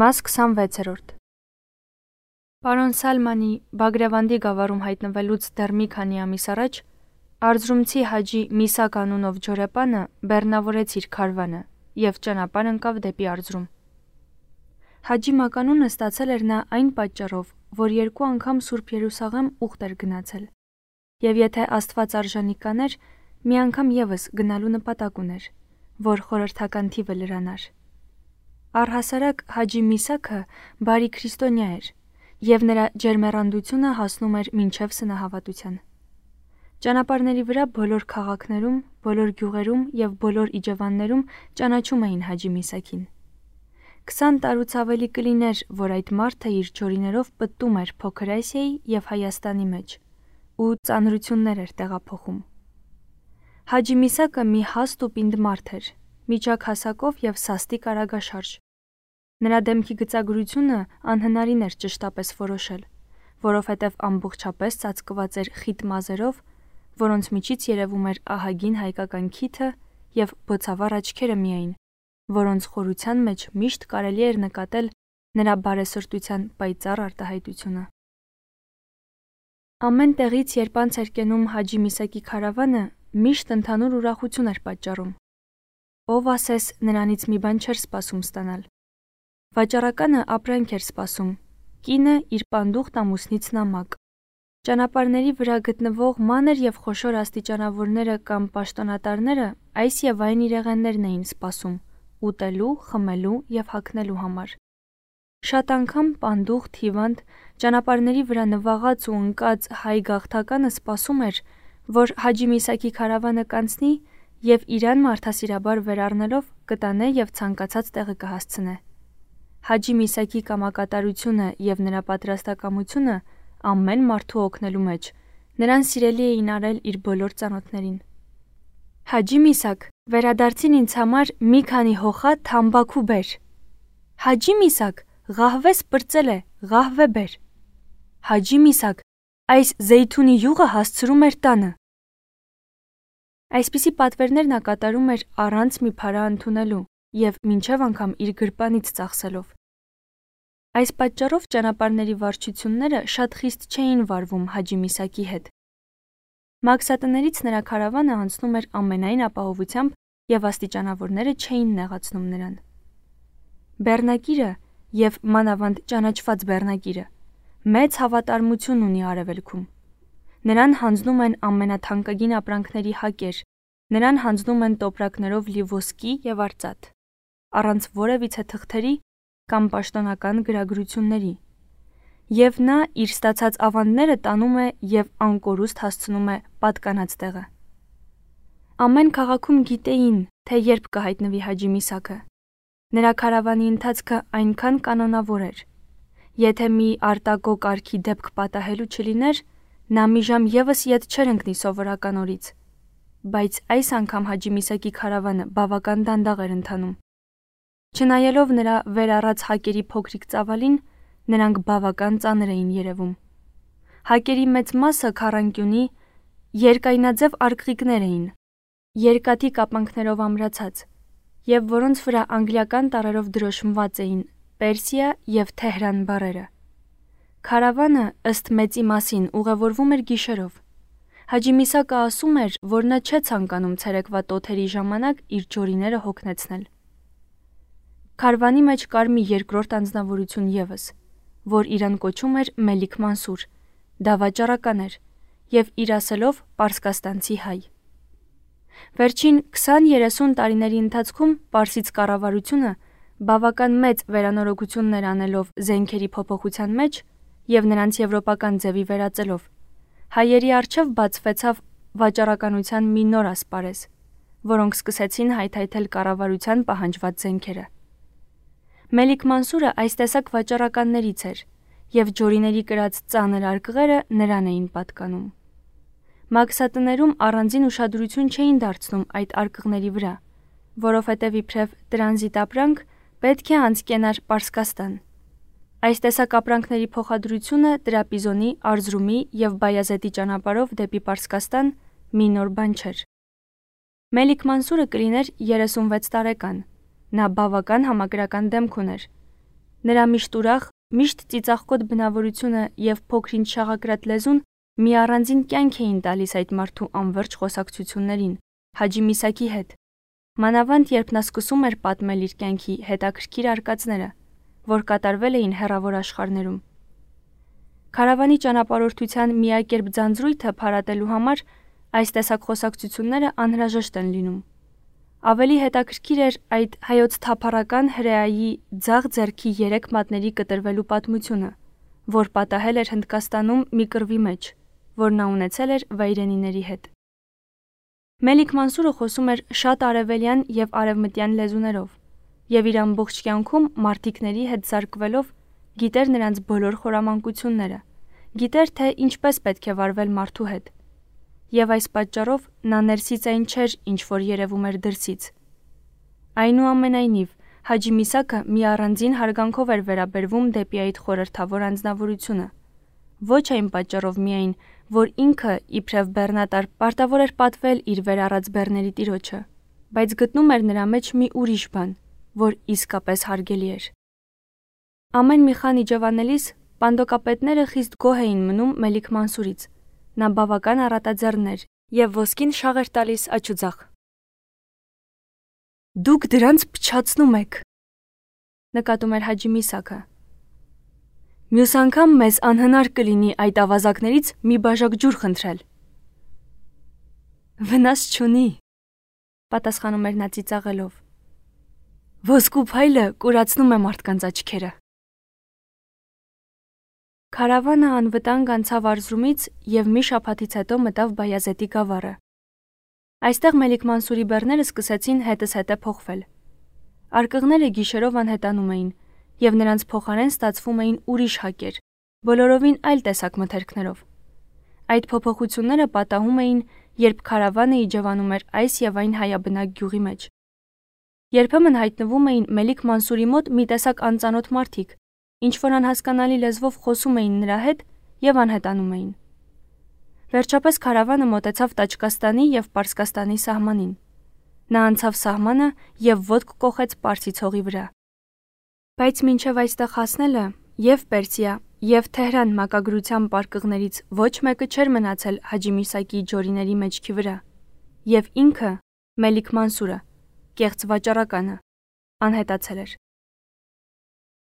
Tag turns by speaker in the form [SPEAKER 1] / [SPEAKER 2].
[SPEAKER 1] Մաս 26-րդ Պարոն Սալմանի Բագրավանդի գավառում հայտնվելուց դեռ մի քանի ամիս առաջ Արզրումցի Հաջի Միսակ անունով ջորեպանը բեռնավորեց իր քարվանը և ճանապարհ ընկավ դեպի Արզրում։ Հաջի մականունը ստացել էր նա այն պատճառով, որ 2 անգամ Սուրբ Երուսաղեմ ուխտ էր գնացել, և եթե Աստված արժանի կաներ, մի անգամ ևս գնալու նպատակ ուներ, որ խորհրդական թիվը լրանար։ Առհասարակ Հաջի Միսաքը բարի քրիստոնյա էր, և նրա ջերմեռանդությունը հասնում էր մինչև սնահավատության։ Ճանապարհների վրա բոլոր քաղաքներում, բոլոր գյուղերում և բոլոր իջևաններում ճանաչում էին Հաջի Միսաքին։ 20 տարուց ավելի կլիներ, որ այդ մարդը իր ջորիներով պտտում էր Փոքր Ասիայի և Հայաստանի մեջ ու ծանրություններ էր տեղափոխում։ Հաջի Միսակը մի հաստ ու պինդ մարդ էր, միջակ հասակով և սաստիկ արագաշարժ։ Նրա դեմքի գծագրությունը անհնարին էր ճշտապես որոշել, որովհետև ամբողջապես ծածկված էր խիտ մազերով, որոնց միջից երևում էր ահագին հայկական քիթը և բոցավառ աչքերը միայն, որոնց խորության մեջ միշտ կարելի էր նկատել նրա բարեսրտության պայծառ արտահայտությունը։ Ամեն տեղից, երբ անց էր կենում Հաջի Միսակի քարավանը, միշտ ընդհանուր ուրախություն էր պատճառում։ Ով ասես նրանից մի բան չէր սպասում ստանալ։ Վաճառականը ապրանք էր սպասում, կինը իր պանդուխտ ամուսնից նամակ։ Ճանապարհների վրա գտնվող մանր և խոշոր աստիճանավորները կամ պաշտոնատարները այս և այն իրեղեններն էին սպասում ուտելու, խմելու և հագնելու համար։ Շատ անգամ պանդուխտ, հիվանդ, ճանապարհների վրա նվաղած ու ընկած հայ գաղթականը սպասում էր, որ Հաջի Միսակի քարավանը կանցնի և իրան մարդասիրաբար վերառնելով կտանե և ցանկացած տեղը կհասցնե։ Հաջի Միսակի կամակատարությունը և նրա պատրաստակամությունը ամեն մարդու օգնելու մեջ նրան սիրելի էին արել իր բոլոր ծանոթներին։ Հաջի Միսակ, վերադարձին ինձ համար մի քանի հոխա թամբաքու բեր։ Հաջի Միսակ, ղահվես պրծել է, ղահվե բեր։ Հաջի Միսակ, այս զեյթունի յուղը հասցրու մեր տանը։ Այսպիսի պատվերներ նա կատարում էր առանց մի փარა ընդունելու և մինչև անգամ իր գրպանից ծախսելով։ Այս պատճառով ճանապարհների վարչությունները շատ խիստ չէին վարվում Հաջի Միսակի հետ։ Մաքսատներից նրա քարավանը անցնում էր ամենայն ապահովությամբ և աստիճանավորները չէին նեղացնում նրան։ Բեռնակիրը և մանավանդ ճանաչված բեռնակիրը մեծ հավատարմություն ունի Արևելքում։ Նրան հանձնում են ամենաթանկագին ապրանքների հակեր, նրան հանձնում են տոպրակներով լի ոսկի և արծաթ, առանց որևիցե թղթերի կամ պաշտոնական գրագրությունների, և նա իր ստացած ավանդները տանում է և անկորուստ հասցնում է պատկանած տեղը։ Ամեն քաղաքում գիտեին, թե երբ կհայտնվի Հաջի Միսաքը։ Նրա քարավանի ընթացքը այնքան կանոնավոր էր։ Եթե մի արտակո կարգի դեպք պատահելու չլիներ, նա մի ժամ ևս ետ չէր ընկնի սովորական օրից, բայց այս անգամ Հաջի Միսակի քարավանը բավական դանդաղ էր ընթանում։ Չնայելով նրա վեր առած հակերի փոքրիկ ծավալին, նրանք բավական ծանր էին երևում։ Հակերի մեծ մասը քառանկյունի, երկայնաձև արգղիկներ էին, երկաթի կապանքներով ամրացած, և որոնց վրա անգլիական տառերով դրոշմված էին Պերսիա և Թեհրան բառերը։ Քարավանը, ըստ մեծի մասին, ուղևորվում էր գիշերով։ Հաջի Միսակը ասում էր, որ նա չէ ցանկանում ցերեկվա տոթերի ժամանակ իր ջորիները հոգնեցնել։ Քարվանի մեջ կար մի երկրորդ անձնավորություն ևս, որ իրան կոչում էր Մելիք Մանսուր, դա վաճառական էր և իր ասելով պարսկաստանցի հայ։ Վերջին 20-30 տարիների ընթացքում Պարսից կառավարությունը բավական մեծ վերանորոգություններ անելով զենքերի փոփոխության մեջ և նրանց եվրոպական ձևի վերածելով, հայերի առջև բացվեցավ վաճառականության մի նոր ասպարեզ, որոնք սկսեցին հայթայթել կառավարության պահանջված զենքերը։ Մելիք Մանսուրը այս տեսակ վաճառականներից էր, և ջորիների կրած ծանր արկղերը նրան էին պատկանում։ Մաքսատներում առանձին ուշադրություն չէին դարձնում այդ արկղների վրա, որովհետև իբրև տրանզիտ ապրանք պետք է անցկենար Պարսկաստան։ Այս տեսակ ապրանքների փոխադրությունը Տրապիզոնի, Արզրումի և Բայազետի ճանապարհով դեպի Պարսկաստան մի նոր բան չէր։ Մելիք Մանսուրը կլիներ 36 տարեկան, նա բավական համակրական դեմք ուներ։ Նրա միշտ ուրախ, միշտ ծիծաղկոտ բնավորությունը եւ փոքրինչ շաղակրատ լեզուն մի առանձին կյանք էին տալիս այդ մարդու անվերջ խոսակցություններին Հաջի Միսակի հետ։ Մանավանդ երբ նա սկսում էր պատմել իր կյանքի հետաքրքիր արկածները, որ կատարվել էին հեռավոր աշխարհներում։ Քարավանի ճանապարհորդության միակերպ ձանձրույթը փարատելու համար այս տեսակ խոսակցությունները անհրաժեշտ են լինում։ Ավելի հետաքրքիր էր այդ հայոց թափառական հրեայի ձախ ձեռքի 3 մատների կտրվելու պատմությունը, որ պատահել էր Հնդկաստանում մի կռվի մեջ, որ նա ունեցել էր վայրենիների հետ։ Մելիք Մանսուրը խոսում էր շատ արևելյան եւ արևմտյան լեզուներով, եւ իր ամբողջ կյանքում մարտիկների հետ զարկվելով գիտեր նրանց բոլոր խորամանկությունները, գիտեր թե ինչպես պետք է վարվել մարդու հետ։ Եվ այս պատճառով նա ներսից այն չէր, ինչ որ երևում էր դրսից։ Այնուամենայնիվ, Հաջի Միսակը մի առանձին հարգանքով էր վերաբերվում դեպի այդ խորհրդավոր անձնավորությունը։ Ոչ այն պատճառով միայն, որ ինքը իբրև բեռնատար պարտավոր էր պատվել իր վերառած բեռների տիրոջը, բայց գտնում էր նրա մեջ մի ուրիշ բան, որ իսկապես հարգելի էր։ Ամեն մի խան իջևանելիս պանդոկապետները խիստ գոհ էին մնում Մելիք Մանսուրից։ Նա բավական առատաձեռն էր եւ ոսկին շաղ էր տալիս աչուձախ։ Դուք դրանց փչացնում եք, նկատում էր Հաջի Միսակը։ Մյուս անգամ մեզ անհնար կլինի այդ ավազակներից մի բաժակ ջուր խնդրել։ Վնաս չունի, պատասխանում էր նա ծիծաղելով։ Ոսկու փայլը կուրացնում է մարդկանց աչքերը։ Քարավանը անվտանգ անցավ Արզրումից եւ մի շաբաթից հետո մտավ Բայազետի գավառը։ Այստեղ Մելիք Մանսուրի բեռները սկսեցին հետզհետե փոխվել։ Արկղները գիշերով անհետանում էին եւ նրանց փոխարեն ստացվում էին ուրիշ հակեր, բոլորովին այլ տեսակ մթերքներով։ Այդ փոփոխությունները պատահում էին, երբ քարավանը իջևանում էր այս եւ այն հայաբնակ գյուղի մեջ։ Երբեմն հայտնվում էին Մելիք Մանսուրի մոտ մի տեսակ անծանոթ մարդիկ, ինչ որ անհասկանալի լեզվով խոսում էին նրա հետ եւ անհետանում էին։ Վերջապես քարավանը մոտեցավ Տաճկաստանի եւ Պարսկաստանի սահմանին։ Նա անցավ սահմանը եւ ոտք կոխեց Պարսից հողի վրա։ Բայց մինչև այստեղ հասնելը եւ Պերսիա եւ Թեհրան մակագրության պարկղներից ոչ մեկը չէր մնացել Հաջի Միսակի ջորիների մեջքի վրա, եւ ինքը Մելիք Մանսուրը, կեղծ վաճառականը, անհետացել էր։